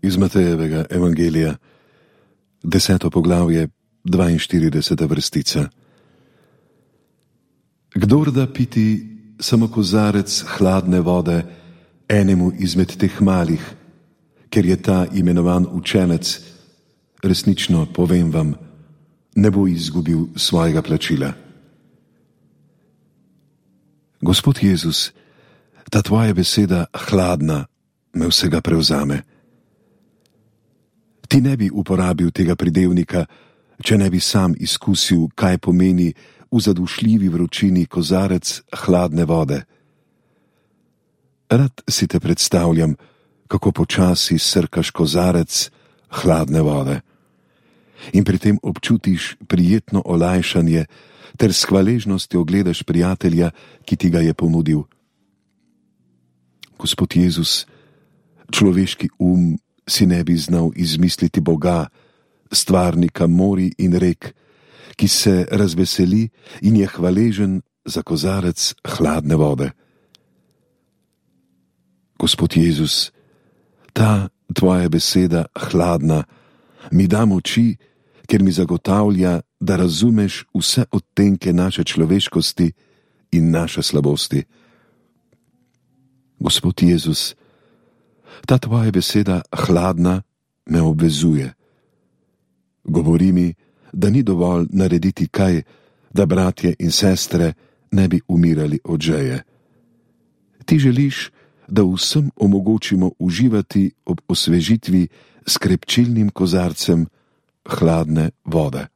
Iz Matejevega evangelija, 10. poglavje, 42. vrstica. Kdor da piti samo kozarec hladne vode enemu izmed teh malih, ker je ta imenovan učenec, resnično povem vam, ne bo izgubil svojega plačila. Gospod Jezus, ta tvoja beseda hladna me vsega prevzame. Ti ne bi uporabil tega pridevnika, če ne bi sam izkusil, kaj pomeni v zadušljivi vročini kozarec hladne vode. Rad si te predstavljam, kako počasi srkaš kozarec hladne vode in pri tem občutiš prijetno olajšanje ter s hvaležnostjo gledaš prijatelja, ki ti ga je ponudil. Gospod Jezus, človeški si ne bi znal izmisliti Boga, stvarnika morij in rek, ki se razveseli in je hvaležen za kozarec hladne vode. Gospod Jezus, ta tvoja beseda hladna mi da moči, ker mi zagotavlja, da razumeš vse odtenke naše človeškosti in naše slabosti. Gospod Jezus, ta tvoja beseda hladna me obvezuje. Govori mi, da ni dovolj narediti kaj, da bratje in sestre ne bi umirali od žeje. Ti želiš, da vsem omogočimo uživati ob osvežitvi s krepčilnim kozarcem hladne vode.